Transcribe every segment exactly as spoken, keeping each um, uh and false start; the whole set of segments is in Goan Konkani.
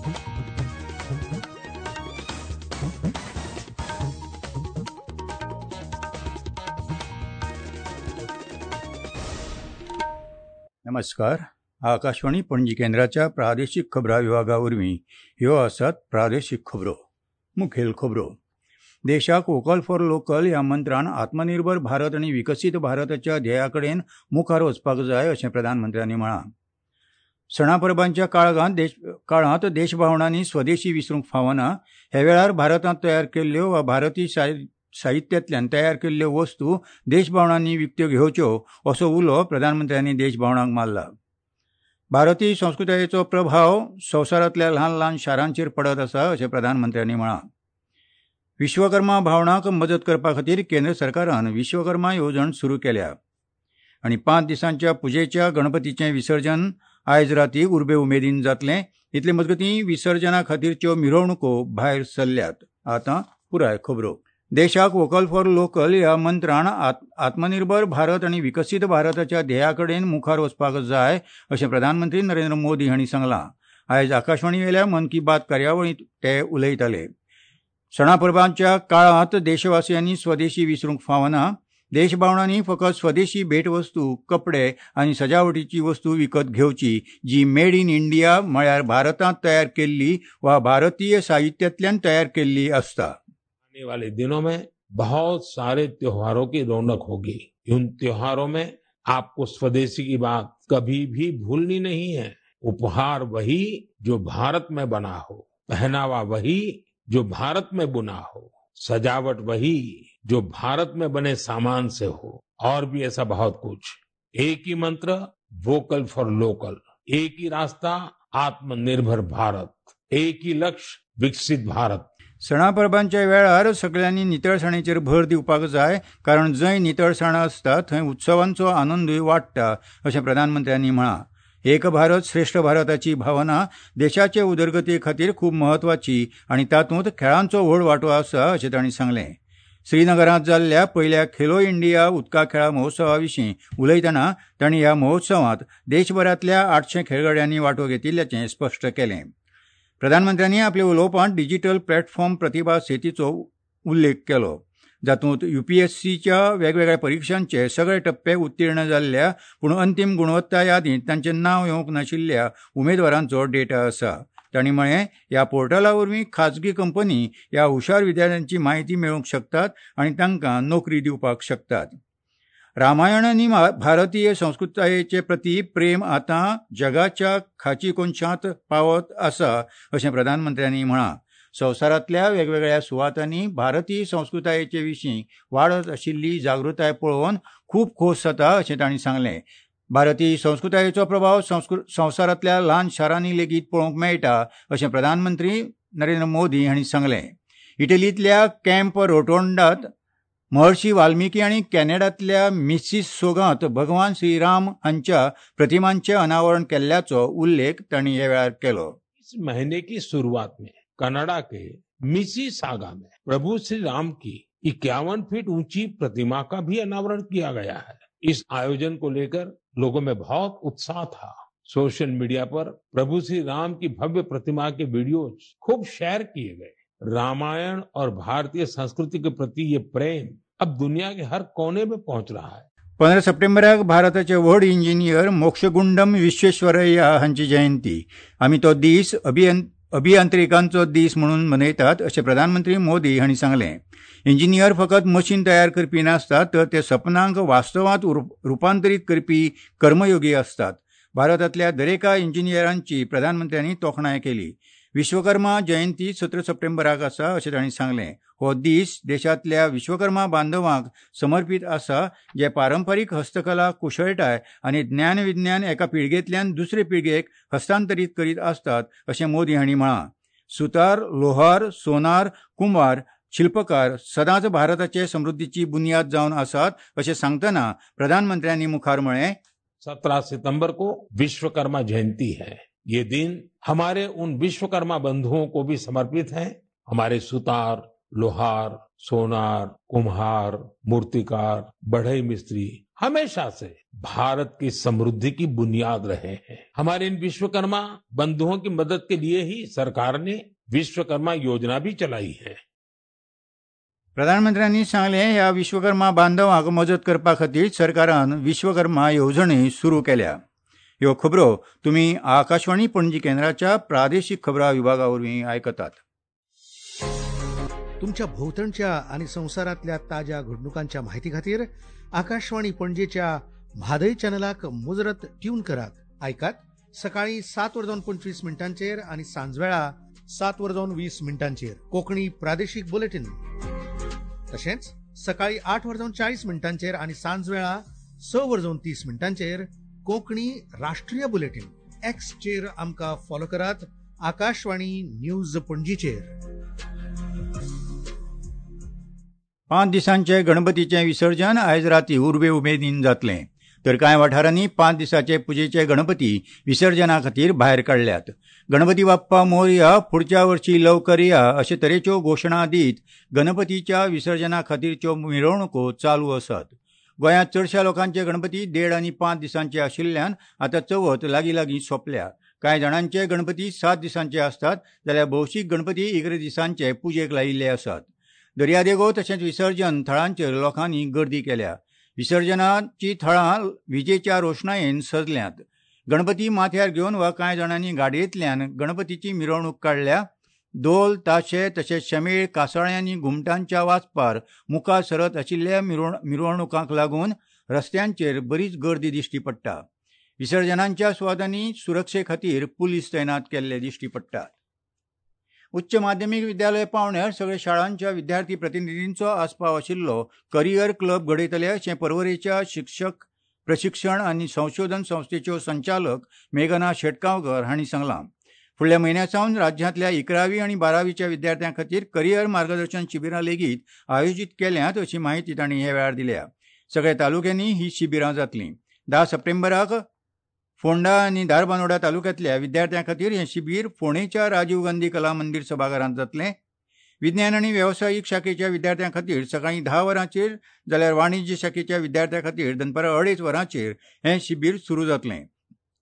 नमस्कार. आकाशवाणी पणजी केंद्राच्या प्रादेशीक खबरां विभागा वरवीं ह्यो आसात प्रादेशीक खबरो. मुखेल खबरो. देशाक वोकल फॉर लोकल ह्या मंत्रान आत्मनिर्भर भारत आनी विकसीत भारताच्या ध्येया कडेन मुखार वचपाक जाय अशें प्रधानमंत्र्यांनी म्हळां. सणा परबांच्या काळांत देश काळांत देशभावनांनी स्वदेशी विसरूंक फावना. ह्या वेळार भारतांत तयार केल्ल्यो वा भारतीय साहित्यांतल्यान तयार केल्ल्यो वस्तू देशभावनांनी विकत्यो घेवच्यो असो उलो प्रधानमंत्र्यांनी देशभावनांक मारला. भारतीय संस्कृतायेचो प्रभाव संवसारांतल्या ल्हान ल्हान शारांचेर पडत आसा अशें प्रधानमंत्र्यांनी म्हळां. विश्वकर्मा भावनांक मजत करपा खातीर केंद्र सरकारान विश्वकर्मा येवजण सुरू केल्या. आनी पांच दिसांच्या पुजेच्या गणपतीचें विसर्जन आयज राती उर्बे उमेदीन जातलें. इतले मजगतीं विसर्जना खातीरच्यो मिरवणुको भायर सरल्यात. आतां पुराय खबरो. देशाक वोकल फॉर लोकल ह्या मंत्रान आत्मनिर्भर भारत आनी विकसीत भारताच्या ध्येया कडेन मुखार वचपाक जाय अशें प्रधानमंत्री नरेंद्र मोदी हांणी सांगलां. आयज आकाशवाणीवेल्या मन की बात कार्यावळींत ते उलयताले. सणा परबांच्या काळांत देशवासियांनी स्वदेशी विसरूंक फावना. देशभावनांनी फकत स्वदेशी भेटवस्तू, कपडे आनी सजावटीची वस्तू विकत घेवची जी मेड इन इंडिया म्हळ्यार भारतांत तयार केल्ली वा भारतीय साहित्यांतल्यान तयार केल्ली आसता. आने वाले दिनों में बहुत सारे त्योहारों की रौनक होगी. उन त्योहारों में आपको स्वदेशी की बात कभी भी भूलनी नहीं है. उपहार वही जो भारत में बना हो, पहनावा वही जो भारत में बुना हो, सजावट वही जो भारत में बने सामान से हो, और भी ऐसा बहुत कुछ. एक ही मंत्र, वोकल फॉर लोकल. एक ही रास्ता, आत्मनिर्भर भारत. एक ही लक्ष्य, विकसित भारत. सणा परबांच्या वेळार सगल्यांनी नितळसाणेचेर भर दिवपाक जाय, कारण जंय नितळसाण आसता थंय उत्सवांचो आनंदूय वाडटा अशें प्रधानमंत्र्यांनी म्हळां. एक भारत श्रेष्ठ भारताची भावना देशाचे उदरगती खातीर खूब म्हत्वाची आनी तातूंत खेळांचो व्हड वांटो आसा अशें तांणी सांगलें. श्रीनगरांत जाल्ल्या पयल्या खेलो इंडिया उदका खेळा महोत्सवा विशीं उलयतना तांणी ह्या महोत्सवांत देशभरांतल्या आठशें खेळगड्यांनी वांटो घेतिल्ल्याचें स्पश्ट केलें. प्रधानमंत्र्यांनी आपल्या उलोवपांत डिजिटल प्लॅटफॉर्म प्रतिभा सेतीचो उल्लेख केलो, जातूंत यूपीएससीच्या वेगवेगळ्या परिक्षांचे सगळे टप्पे उत्तीर्ण जाल्ल्या पूण अंतीम गुणवत्ता यादींत तांचें नांव येवंक नाशिल्ल्या उमेदवारांचो डेटा आसा. तांणी म्हळें, ह्या पोर्टला वरवीं खाजगी कंपनी ह्या हुशार विद्यार्थ्यांची म्हायती मेळोवंक शकतात आनी तांकां नोकरी दिवपाक शकतात. रामायण आनी भारतीय संस्कृतायेचे प्रती प्रेम आतां जगाच्या खाची कोनशांत पावत आसा अशें प्रधानमंत्र्यांनी म्हळां. संवसारांतल्या वेगवेगळ्या सुवातांनी भारतीय संस्कृतायेचे विशीं वाडत आशिल्ली जागृताय पळोवन खूब खोस जाता अशें तांणी सांगलें. भारतीय संस्कृतायेचो प्रभाव संवसारांतल्या ल्हान शारांनी लेगीत पळोवंक मेळटा अशें प्रधानमंत्री नरेंद्र मोदी हांणी सांगलें. इटलींतल्या कॅम्प रोटोंडात महर्षी वाल्मिकी आनी कॅनडांतल्या मिसिसोगांत भगवान श्रीराम हांच्या प्रतिमांचें अनावरण केल्ल्याचो उल्लेख तांणी ह्या वेळार केलो. इस महीने की सुरुवात में कनाडा के मिसिसागा में प्रभु श्री राम की इक्यावन फीट ऊंची प्रतिमा का भी अनावरण किया गया है. इस आयोजन को लेकर लोगों में बहुत उत्साह था. सोशल मीडिया पर प्रभु श्री राम की भव्य प्रतिमा के वीडियोज खूब शेयर किए गए. रामायण और भारतीय संस्कृति के प्रति ये प्रेम अब दुनिया के हर कोने में पहुंच रहा है. पंदरा सप्टेंबराक भारताचे व्हड इंजिनियर मोक्षगुंडम विश्वेश्वरय्या हांची जयंती. आमी तो दीस अभियं अभियांत्रिकांचो दीस म्हणून मनयतात अशें प्रधानमंत्री मोदी हांणी सांगलें. इंजिनियर फकत मशीन तयार करपी नासतात तर ते सपनांक वास्तवांत रुपांतरीत करपी कर्मयोगी आसतात. भारतांतल्या दरेका इंजिनियरांची प्रधानमंत्र्यांनी तोखणाय केली. विश्वकर्मा जयंती सतरा सप्टेंबराक आसा अशें तांणी सांगलें. हो दीस देशांतल्या विश्वकर्मा बांधवांक समर्पीत आसा जे पारंपरीक हस्तकला, कुशळटाय आनी ज्ञानविज्ञान एका पिळगेंतल्यान दुसरे पिळगेक हस्तांतरीत करीत आसतात अशें मोदी हांणी म्हळां. सुतार, लोहार, सोनार, कुंभार, शिल्पकार सदांच भारताचे समृद्धीची बुन्याद जावन आसात अशें सांगतना प्रधानमंत्र्यांनी मुखार म्हळें, सत्रह सितंबर को विश्वकर्मा जयंती है. ये दिन हमारे उन विश्वकर्मा बंधुओं को भी समर्पित है। हमारे सुतार, लोहार, सोनार, कुम्हार, मूर्तिकार, बढ़ई मिस्त्री हमेशा से भारत की समृद्धि की बुनियाद रहे हैं। हमारे इन विश्वकर्मा बंधुओं की मदद के लिए ही सरकार ने विश्वकर्मा योजना भी चलाई है। प्रधानमंत्र्यांनी सांगलें, ह्या विश्वकर्मा बांधवांक मजत करपा खातीर सरकारान विश्वकर्मा येवजणी सुरू केल्या। ह्यो खबरो तुमी आकाशवाणी पणजी केंद्राच्या प्रादेशीक खबरां विभागा वरवीं आयकतात। तुमच्या भोवतणच्या आनी संवसारांतल्या ताज्या घडणुकांच्या माहिती खातीर आकाशवाणी पणजेच्या म्हादय चॅनलाक मुजरत ट्यून करात। आयकात सकाळी सात वर जावन पंचवीस मिनटांचेर आनी सांजवेळा सात वर जावन वीस मिनटांचेर कोंकणी प्रादेशीक बुलेटीन, तशेंच सकाळी आठ वर जावन चाळीस मिनटांचेर आनी सांजवेळा स वर जावन तीस मिनटांचेर कोंकणी राष्ट्रीय बुलेटीन। एक्सचेर आमकां फॉलो करात आकाशवाणी न्यूज पणजीचेर। पांच दिसांचे गणपतीचें विसर्जन आयज राती उर्बे उमेदीन जातलें, तर कांय वाठारांनी पांच दिसाचे पुजेचे गणपती विसर्जना खातीर भायर काडल्यात। गणपती बाप्पा मोरया, फुडच्या वर्षी लवकर या अशे तरेच्यो घोशणा दीत गणपतीच्या विसर्जना खातीरच्यो मिरवणुको चालू आसात। गोंयांत चडश्या लोकांचे गणपती देड आनी पांच दिसांचे आशिल्ल्यान आतां चवथ लागीं लागीं सोंपल्या। कांय जाणांचे गणपती सात दिसांचे आसतात, जाल्यार भौशीक गणपती इकरा दिसांचे पुजेक लायिल्ले आसात। दर्यादेगो तशेंच विसर्जन थळांचेर लोकांनी गर्दी केल्या। विसर्जनाची थळां विजेच्या रोशणायेन सजल्यांत। गणपती माथ्यार घेवन वा कांय जाणांनी गाडयेंतल्यान गणपतीची मिरवणूक काडल्या। धोल, ताशे तशेंच शमेळ, कासाळ्यांनी घुमटांच्या वाजपार मुखार सरत आशिल्ल्या मिरवणुकांक लागून रस्त्यांचेर बरीच गर्दी दिश्टी पडटा। विसर्जनांच्या सुवातांनी सुरक्षे खातीर पुलीस तैनात केल्ले दिश्टी पडटात। उच्च माध्यमीक विद्यालय पावंड्यार सगळ्या शाळांच्या विद्यार्थी प्रतिनिधींचो आस्पाव आशिल्लो करियर क्लब घडयतले अशें पर्वरेच्या शिक्षक प्रशिक्षण आनी संशोधन संस्थेच्यो संचालक मेघना शेटगांवकर हांणी सांगलां। फुडल्या म्हयन्या सावन राज्यांतल्या इकरावी आनी बारावीच्या विद्यार्थ्यां खातीर करियर मार्गदर्शन शिबिरां लेगीत आयोजीत केल्यांत अशी माहिती तांणी ह्या वेळार दिल्या। सगळ्या तालुक्यांनी ही शिबिरां जातलीं। धा सप्टेंबराक फोंडा आनी धारबांदोडा तालुक्यांतल्या विद्यार्थ्यां खातीर हें शिबीर फोंडेच्या राजीव गांधी कला मंदीर सभाघरांत जातलें। विज्ञान आनी वेवसायीक शाखेच्या विद्यार्थ्यां खातीर सकाळीं धा वरांचेर जाल्यार वाणिज्य शाखेच्या विद्यार्थ्यां खातीर दनपारां अडेच वरांचेर हें शिबीर सुरू जातलें।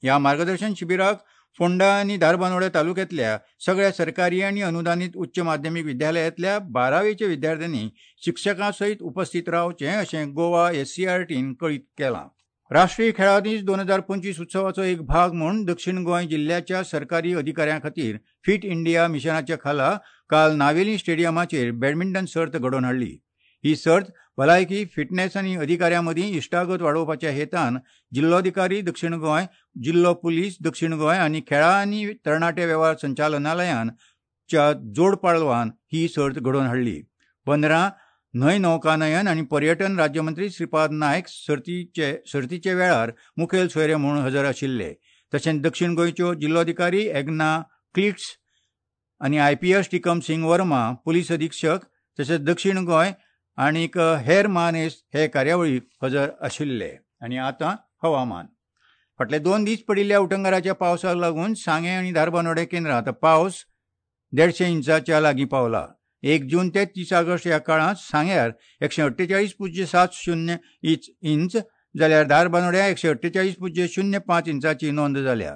ह्या मार्गदर्शन शिबिराक फोंडा आनी धारबांदोड्या तालुक्यांतल्या सगळ्या सरकारी आनी अनुदानीत उच्च माध्यमीक विद्यालयांतल्या बारावेच्या विद्यार्थ्यांनी शिक्षकां सयत उपस्थित रावचें अशें गोवा एससीआरटीन कळीत केलां। राष्ट्रीय खेळां दीस दोन हजार पंचवीस उत्सवाचो एक भाग म्हूण दक्षिण गोंय जिल्ल्याच्या सरकारी अधिकाऱ्यां खातीर फिट इंडिया मिशनाच्या खाला काल नावेली स्टेडियमाचेर बॅडमिंटन सर्त घडोवन हाडली। ही सर्त भलायकी, फिटनेस आनी अधिकाऱ्यां मदीं इश्टागत वाडोवपाच्या हेतान जिल्लोधिकारी दक्षिण गोंय, जिल्लो पुलीस दक्षिण गोंय आनी खेळां आनी तरणाटे वेव्हार संचालनालयान च्या जोडपालवान ही सर्त घडोवन हाडली। पंदरा न्हंय नौकानयन आनी पर्यटन राज्यमंत्री श्रीपाद नायक सर्तीचे सर्तीचे वेळार मुखेल सोयरे म्हूण हजर आशिल्ले। तशेंच दक्षिण गोंयच्यो जिल्लोधिकारी एग्ना क्लिट्स आनी I P S Tikam Singh Verma, police अधीक्षक तशेंच दक्षिण गोंय आनीक हेर मानेस्त हे कार्यावळीक हजर आशिल्ले। आनी आतां हवामान। फाटले दोन दीस पडिल्ल्या उटंगाराच्या पावसाक लागून सांगें आनी धारबांदोडें केंद्रांत पावस देडशे इंचाच्या लागीं पावला। एक जून ते तीस ऑगस्ट ह्या काळांत सांग्यार एकशे अठ्ठेचाळीस पुज्य सात शून्य इंच इंच जाल्यार धारबांदोड्या एकशे अठ्ठेचाळीस पुज्य शून्य पांच इंचाची नोंद जाल्या।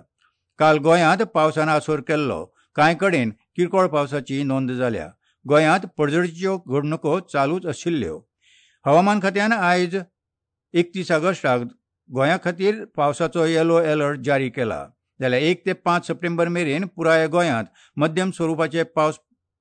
काल गोंयांत पावसान आसोर केल्लो। कांय कडेन किरकोळ पावसाची नोंद जाल्या। गोंयांत पडझडीच्यो घडणुको चालूच आशिल्ल्यो। हवामान खात्यान आयज एकतीस ऑगस्टाक गोंया खातीर पावसाचो येलो अलर्ट जारी केला। जाल्यार एक ते पांच सप्टेंबर मेरेन पुराय गोंयांत मध्यम स्वरुपाचे पावस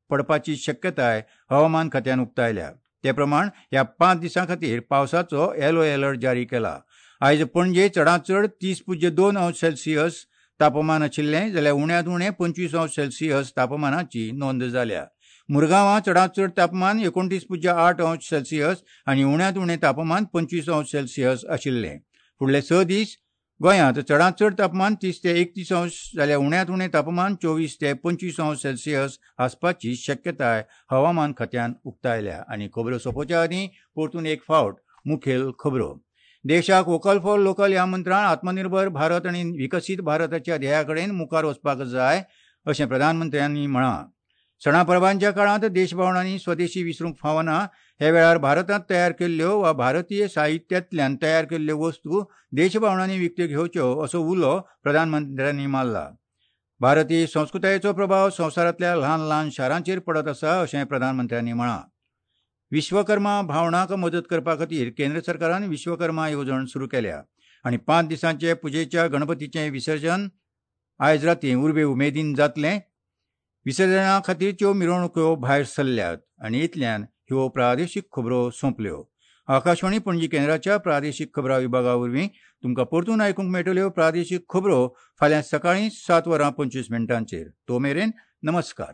पडपाची शक्यताय हवामान खात्यान उक्तायल्या। ते प्रमाण ह्या पांच दिसां खातीर पावसाचो येलो अलर्ट जारी केला। आयज पणजे चडांत चड तीस पुज्य दोन अंश सेल्सियस तापमान आशिल्लें, जाल्यार उण्यांत उणें पंचवीस अंश सेल्सियस तापमानाची नोंद जाल्या। मुरगांवां चडांत चड तापमान एकोणतीस पुज्य आठ अंश सेल्सियस आनी उण्यांत उणें तापमान पंचवीस अंश सेल्सियस आशिल्लें। फुडले स दीस गोंयांत चडांत चड तापमान तीस ते एकतीस अंश जाल्यार उण्यांत उणें तापमान चोवीस ते पंचवीस अंश सेल्सियस आसपाची शक्यताय हवामान खात्यान उक्तायल्या। आनी खबरो सोंपोवच्या आदीं परतून एक फावट मुखेल खबरो। देशाक वोकल फॉर लोकल ह्या मंत्रान आत्मनिर्भर भारत आनी विकसीत भारताच्या ध्येया कडेन मुखार वचपाक जाय अशें प्रधानमंत्र्यांनी म्हळां। सणा परबांच्या काळांत देशभावनांनी स्वदेशी विसरूंक फावना, ह्या वेळार भारतांत तयार केल्ल्यो वा भारतीय साहित्यांतल्यान तयार केल्ल्यो वस्तू देशभावनांनी विकत्यो घेवच्यो असो उलो प्रधानमंत्र्यांनी मारला. भारतीय संस्कृतायेचो प्रभाव संवसारांतल्या ल्हान ल्हान शारांचेर पडत आसा अशें प्रधानमंत्र्यांनी म्हळां. विश्वकर्मा भावणाक मदत करपा खातीर केंद्र सरकारान विश्वकर्मा येवजण सुरू केल्या आनी पांच दिसांचे पुजेच्या गणपतीचें विसर्जन आयज रातीं उर्बे उमेदीन जातलें. विसर्जना खातीरच्यो मिरवणुक्यो भायर सरल्यात. आनी इतल्यान ह्यो प्रादेशीक खबरो सोंपल्यो. आकाशवाणी पणजी केंद्राच्या प्रादेशीक खबरां विभागा वरवीं तुमकां परतून आयकूंक मेळटल्यो प्रादेशीक खबरो फाल्यां सकाळीं सात वरां पंचवीस मिनटांचेर. तो मेरेन नमस्कार.